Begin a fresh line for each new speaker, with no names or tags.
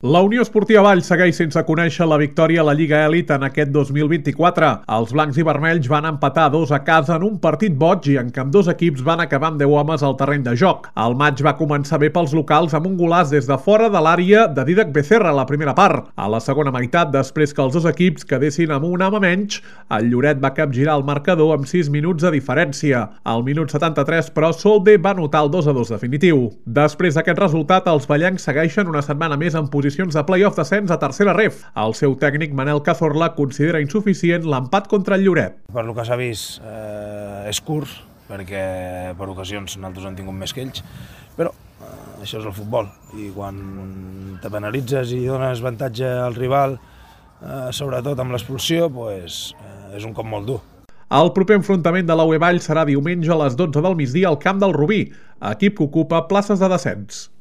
La Unió Esportiva Valls segueix sense conèixer la victòria a la Lliga Elit en aquest 2024. Els blancs i vermells van empatar 2 a casa en un partit boig i en què ambdós equips van acabar amb 10 homes al terreny de joc. El maig va començar bé pels locals amb un golaç des de fora de l'àrea de Dídac Becerra a la primera part. A la segona meitat, després que els dos equips quedessin amb un home menys, el Lloret va capgirar el marcador amb 6 minuts de diferència. Al minut 73, però, Solde va anotar el 2-2 definitiu. Després d'aquest resultat, els ballencs segueixen una setmana més en posició de play-off descens a tercera ref. El seu tècnic Manel Cazorla considera insuficient l'empat contra el Lloret.
Per lo que s'ha vist és curt, perquè per ocasions nosaltres hem tingut més que ells, però això és el futbol, i quan te penalitzes i dones avantatge al rival, sobretot amb l'expulsió, és un cop molt dur.
El proper enfrontament de la UE Valls serà diumenge a les 12 del migdia al camp del Rubí, equip que ocupa places de descens.